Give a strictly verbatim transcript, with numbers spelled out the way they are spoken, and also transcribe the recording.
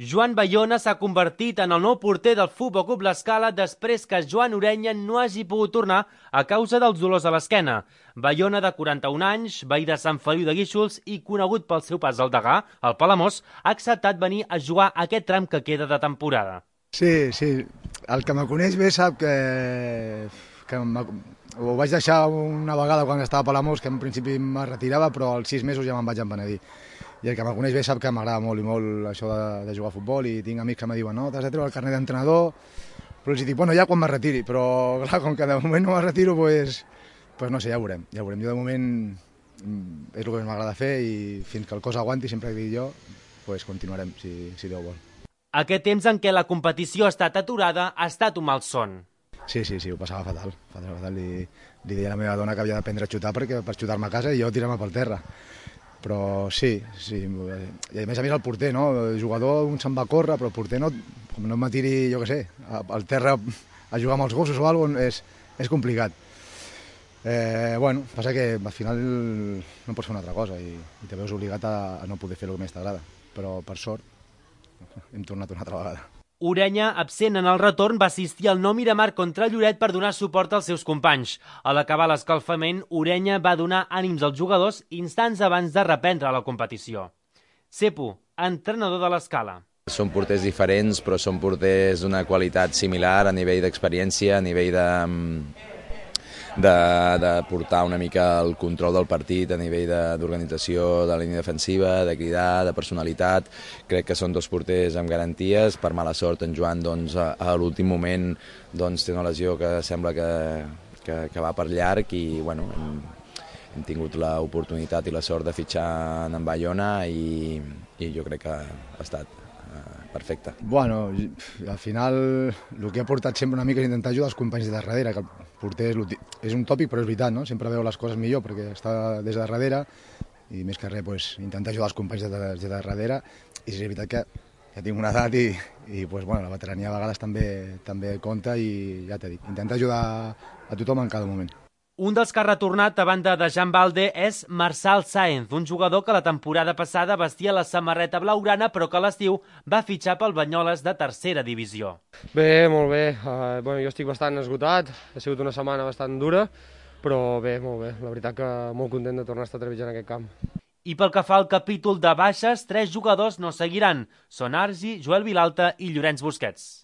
Joan Bayona s'ha convertit en el nou porter del Futbol Club L'Escala després que Joan Ureña no hagi pogut tornar a causa dels dolors a l'esquena. Bayona, de quaranta-un anys, veí de Sant Feliu de Guíxols i conegut pel seu pas al Degà, al Palamós, ha acceptat venir a jugar aquest tram que queda de temporada. Sí, sí. El que me coneix bé sap que, que ho vaig deixar una vegada quan estava a Palamós, que en principi me retirava, però als sis mesos ja me'n vaig empenedir. I el que me coneix bé sap que m'agrada molt i molt això de, de jugar a futbol, i tinc amics que me diuen no, t'has de treure el carnet d'entrenador, però els dic, bueno, ja quan me retiri, però clar, com que de moment no me retiro, pues, pues no sé, ja ho veurem, ja ho veurem. Jo de moment és el que m'agrada fer i fins que el cos aguanti, sempre que digui jo, pues continuarem, si, si Déu vol. Aquest temps en què la competició ha estat aturada ha estat un malson. Sí, sí, sí, ho passava fatal, fatal, fatal. I li deia a la meva dona que havia d'aprendre a xutar perquè per xutar-me a casa i jo tirar-me pel terra. Però sí, sí, i a més a més el porter, no? El jugador un se'n va a córrer, però el porter no, com no me tiri, jo què sé, al terra a jugar amb els gossos o alguna cosa, és, és complicat. Eh, bueno, passa que al final no pots fer una altra cosa i, i te veus obligat a, a no poder fer el que més t'agrada, però per sort hem tornat una altra vegada. Ureña, absent en el retorn, va assistir al Nou Miramar contra Lloret per donar suport als seus companys. A l'acabar l'escalfament, Ureña va donar ànims als jugadors instants abans de reprendre la competició. Cepo, entrenador de l'Escala. Són porters diferents, però són porters d'una qualitat similar a nivell d'experiència, a nivell de... De, de portar una mica el control del partit a nivell d'organització de, de la línia defensiva, de cridar, de personalitat. Crec que són dos porters amb garanties. Per mala sort, en Joan doncs, a, a l'últim moment doncs, té una lesió que sembla que, que, que va per llarg i bueno, hem, hem tingut l'oportunitat i la sort de fitxar en Bayona i, i jo crec que ha estat perfecte. Bueno, al final el que ha portat sempre una mica és intentar ajudar els companys de darrere, que el porter és, és un tòpic però és veritat, no? Sempre veu les coses millor perquè està des de darrere i més que res pues, intentar ajudar els companys de, de, de darrere, i és veritat que ja tinc una edat i, i pues, bueno, la veterania a vegades també, també compta i ja t'he dit, intentar ajudar a tothom en cada moment. Un dels que ha retornat a banda de Jan Balde és Marçal Sáenz, un jugador que la temporada passada vestia la samarreta blaugrana però que a l'estiu va fitxar pel Banyoles de tercera divisió. Bé, molt bé. Uh, bueno, jo estic bastant esgotat, ha sigut una setmana bastant dura, però bé, molt bé. La veritat que molt content de tornar a estar trepitjant aquest camp. I pel que fa al capítol de baixes, tres jugadors no seguiran. Són Argi, Joel Vilalta i Llorenç Busquets.